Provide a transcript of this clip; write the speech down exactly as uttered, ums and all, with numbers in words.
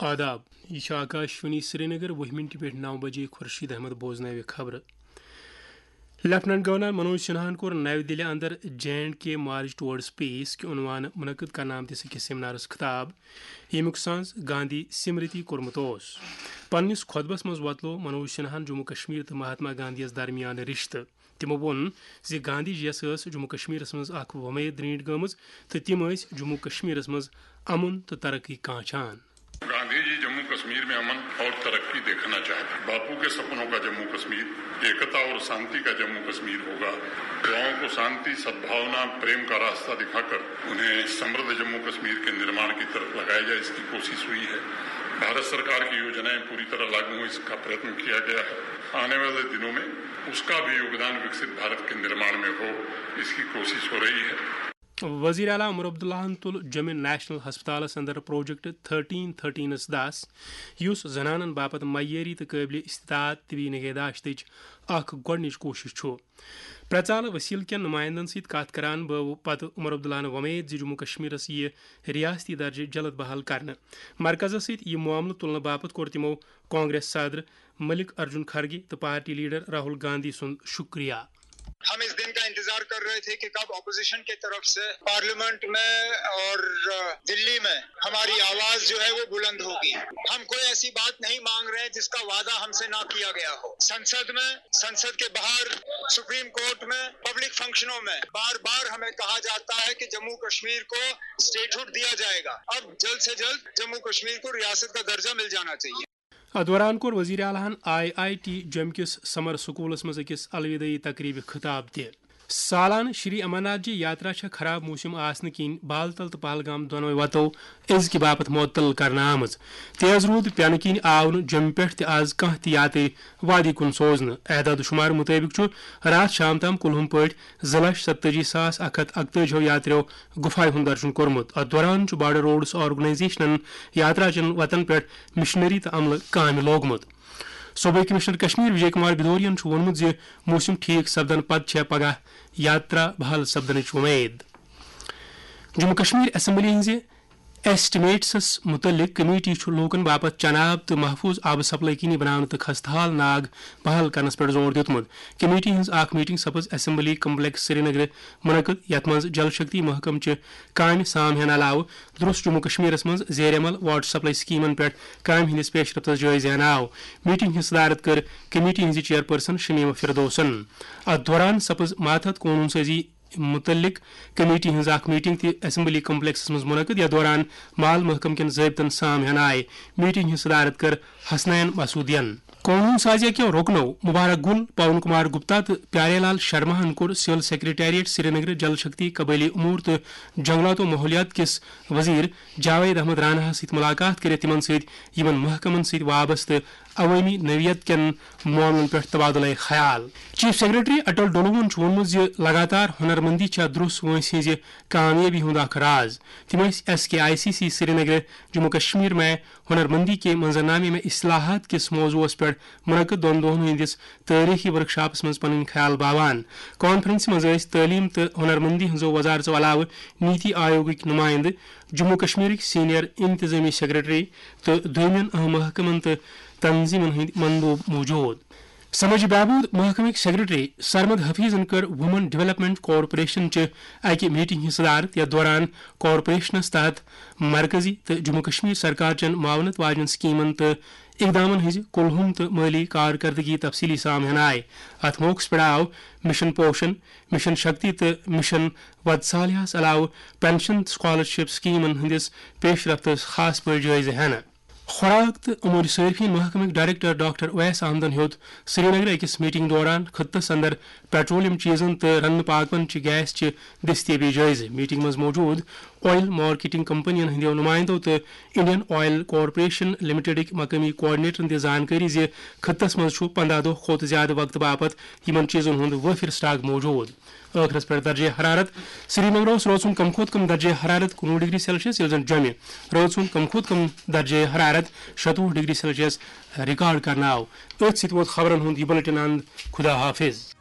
آداب، یہِ چھُ آکاش وانی سرینگر، وُہ مِنٹہِ پٮ۪ٹھ نَو بجے خورشید احمد بوزناوِ خبرٕ۔ لیفٹیننٹ گورنر منوج سنہاہن کوٚر نَوِ دِلہِ اندر J and K march towards peace کہِ عنوانہٕ منعقد کرنہٕ آمتِس أکِس سیمینارس خطاب، ییٚمیُک سانز گاندھی سمرتی کوٚرمُت اوس۔ پننِس خطبس منٛز وۄتلوو منوج سنہاہن جموں کشمیر تہٕ مہاتما گاندھی یس درمیان رشتہٕ۔ تِمو ووٚن زِ گاندھی جی یس ٲس جموں کشمیرس منٛز اکھ وۄمید درینٹھ گٔمٕژ تہٕ تِم ٲسۍ جموں کشمیرس منٛز امن تہٕ ترقی کانچھان۔ गांधी जी जम्मू कश्मीर में अमन और तरक्की देखना चाहते हैं। बापू के सपनों का जम्मू कश्मीर, एकता और शांति का जम्मू कश्मीर होगा। युवाओं को शांति, सद्भावना, प्रेम का रास्ता दिखाकर उन्हें समृद्ध जम्मू कश्मीर के निर्माण की तरफ लगाया जाए, इसकी कोशिश हुई है। भारत सरकार की योजनाएं पूरी तरह लागू हों, इसका प्रयत्न किया गया है। आने वाले दिनों में उसका भी योगदान विकसित भारत के निर्माण में हो, इसकी कोशिश हो रही है। وزیر اعلیٰ عمر عبداللہن تُل جوٚمہِ نیشنل ہسپتالس اندر پروجیکٹ تھرٹین تھرٹینس دس، یُس زنانن باپتھ معیٲری تہٕ قٲبلِ استطاعت طبی نگہداشتٕچ اکھ گۄڈٕنِچ کوٗشش چھُ۔ پرٛژالہٕ وسیلہٕ کٮ۪ن نمائندن سۭتۍ کتھ کران بٲو پتہٕ عمر عبداللہن وۄمید زِ جموں کشمیرس یِیہِ ریاستی درجہٕ جلد بحال کرنہٕ۔ مرکزس سۭتۍ یہِ معاملہٕ تُلنہٕ باپتھ کوٚر تِمو کانگریس صدر ملک ارجن کھرگے تہٕ پارٹی لیڈر راہل گاندھی سُنٛد شکریہ۔ ہم اس دن کا انتظار کر رہے تھے کہ کب اپوزیشن کی طرف سے پارلیمنٹ میں اور دلی میں ہماری آواز جو ہے وہ بلند ہوگی۔ ہم کوئی ایسی بات نہیں مانگ رہے جس کا وعدہ ہم سے نہ کیا گیا ہو۔ سنسد میں، سنسد کے باہر، سپریم کورٹ میں، پبلک فنکشنوں میں بار بار ہمیں کہا جاتا ہے کہ جموں کشمیر کو اسٹیٹہڈ دیا جائے گا۔ اب جلد سے جلد جموں کشمیر کو ریاست کا درجہ مل جانا چاہیے۔ اتھ دوران کوٚر وزیر اعلیٰ ہن آئی آئی ٹی جوٚمہِ کِس سمر سکولس منٛز أکِس الودٲعی تقریبہِ خطاب تہِ۔ سالانہٕ شری امرناتھ جی یاترا چھےٚ خراب موسم آسنہٕ کِنۍ بالتل تہٕ پہلگام دۄنوَے وتو أزکہِ باپتھ معطل کرنہٕ آمٕژ۔ تیز روٗد پٮ۪نہٕ کِنۍ آو نہٕ جوٚمہِ پٮ۪ٹھ تہِ آز کانٛہہ تہِ یاتری وادی کُن سوزنہٕ۔ اعداد و شمار مُطٲبِق چھُ راتھ شام تام کُلہُم پٲٹھۍ زٕ لچھ ستتٲجی ساس اکھ ہتھ اکتٲجی ہو یاتریو گُفایہِ ہُنٛد درشُن کوٚرمُت۔ اتھ دوران چھُ بارڈر روڈس آرگنائزیشنن یاترا چٮ۪ن وتن پٮ۪ٹھ مشنری تہٕ عملہٕ کامہِ لوگمُت۔ صوبٲئی کمشنر کشمیر وجے کمار بھدورین چھُ ووٚنمُت زِ موسم ٹھیک سپدنہٕ پتہٕ چھےٚ پگاہ یاترا بحال سپدنٕچ وۄمید۔ جموں کشمیر اسمبلی ہٕنٛزِ ایسٹیمیٹسس مُتعلق کمیٹی چھُ لوٗکَن باپتھ چنہٕ آب تہٕ محفوٗظ آبہٕ سپلائی کِنی بناونہٕ تہٕ خستہٕ حال ناگ بحال کرنَس پٮ۪ٹھ زور دیُتمُت۔ کمیٹی ہٕنٛز اکھ میٹنگ سپٕز اسمبلی کمپلیکس سرینگرٕ منعقد، یَتھ منٛز جل شکتی محکمہٕ چہِ کامہِ سام ہٮ۪نہٕ علاوٕ درٛوس جموں کشمیرس منٛز زیر عمل واٹر سپلائی سکیمن پٮ۪ٹھ کامہِ ہٕنٛدِس پیش رفتس جٲیزٕ ہٮ۪نہٕ آو۔ میٹنگ ہٕنٛز صدارت کٔر کمیٹی ہٕنٛزِ چیئرپرسن شمیمہ فردوسن۔ اتھ دوران سپٕز ماتحت قونوٗن سازی مُتعلق کمیٹی ہٕنٛز اکھ میٹنگ تہِ اسمبلی کمپلیکسس منٛز منعقد، یتھ دوران مال محکمہٕ کٮ۪ن ضٲبطن سام ہٮ۪نہٕ آیہِ۔ میٹنگ ہٕنٛز صدارت کٔر حسنین مسعودین۔ قونوٗن سازی کیو رُکنو مبارک گل، پون کمار گپتا تہٕ پیارے لال شرماہن کوٚر سول سیکرٹریٹ سرینگر جل شکتی، قبٲئلی امور تہٕ جنگلات و ماحولیات کِس وزیر جاوید احمد راناہس سۭتۍ ملاقات کٔرِتھ تِمن سۭتۍ یِمن محکمن سۭتۍ وابستہٕ عوٲمی نوعیت کٮ۪ن معاملن پٮ۪ٹھ تبادلہ خیال۔ چیف سیکرٹری اٹل ڈولوہن چھُ ووٚنمُت زِ لگاتار ہنرمندی چھےٚ درٛوس وٲنٛسہِ ہٕنٛزِ کامیٲبی ہُنٛد اکھ راز۔ تِم ٲسۍ S K I C C Srinagar, Jammu Kashmir میں ہنرمندی کے منظرنامے میں اصلاحات کِس موضوعس پٮ۪ٹھ منعقد دۄن دۄہن ہٕنٛدِس تٲریخی ورکشاپس منٛز پنٕنۍ خیال باوان۔ کانفرنسہِ منٛز ٲسۍ تعلیٖم تہٕ ہنرمندی ہٕنٛزو وزارژو علاوٕ نیتی آیوگٕکۍ نمائندٕ، جموں کشمیرٕکۍ سینئر انتظامی سیکرٹری تہٕ دوٚیمٮ۪ن اہم محکمن تہٕ تنظیمن ہٕنٛدۍ مندوب موجود۔ سماجی بہبود محکمٕکۍ سیکرٹری سرمد حفیظن کٔر وومن ڈیولپمنٹ کارپوریشن چہِ اکہِ میٹنگ ہٕنٛز صدارت، یتھ دوران کارپوریشنس تحت مرکزی تہٕ جموں کشمیر سرکار چٮ۪ن معاونت واجٮ۪ن سکیمن تہٕ اقدامن ہٕنٛزِ کُلہُم تہٕ مٲلی کارکردگی تفصیلی سام ہٮ۪نہٕ آیہِ۔ اتھ موقعس پٮ۪ٹھ آو مشن پوشن، مشن شکتی تہٕ مشن وتسالیاہس علاوٕ پنشن تہٕ سکالرشپ سکیمن ہٕنٛدِس پیش رفتس خاص پٲٹھۍ جٲیزٕ ہٮ۪نہٕ۔ خوراک تہٕ امور صارفین محکمٕکۍ ڈائریکٹر ڈاکٹر اویس احمدن ہیوٚت سرینگرٕ أکِس میٹنگ دوران خطس اندر پیٹرولیم چیزن تہٕ رننہٕ پاکوان چہِ گیس چہِ دستیابی جٲیزٕ۔ میٹنگ منٛز موجود آئل مارکیٹنگ کمپنین ہٕنٛدیو نمائندو تہٕ انڈین آئل کارپوریشن لمیٹڈٕکۍ مقٲمی کوآرڈینیٹرن دِژ زانکٲری زِ خطس منٛز چھُ پنداہ دۄہ کھۄتہٕ زیادٕ وقتہٕ باپتھ یِمن چیزن ہُنٛد وٲفر سٹاک موجود۔ ٲخرس پٮ۪ٹھ درجہ حرارت۔ سرینگرس روز ہُنٛد کم کھۄتہٕ کم درجہ حرارت کُنوُہ ڈگری سیلسیس، ییٚلہِ زن جوٚمہِ روز ہُنٛد کم کھۄتہٕ کم درجہ حرارت شتوُہ ڈگری سیلسیس ریکارڈ کرنہٕ آو۔ أتھۍ سۭتۍ ووت خبرن ہُنٛد یہِ بلیٹن اند۔ خدا حافظ۔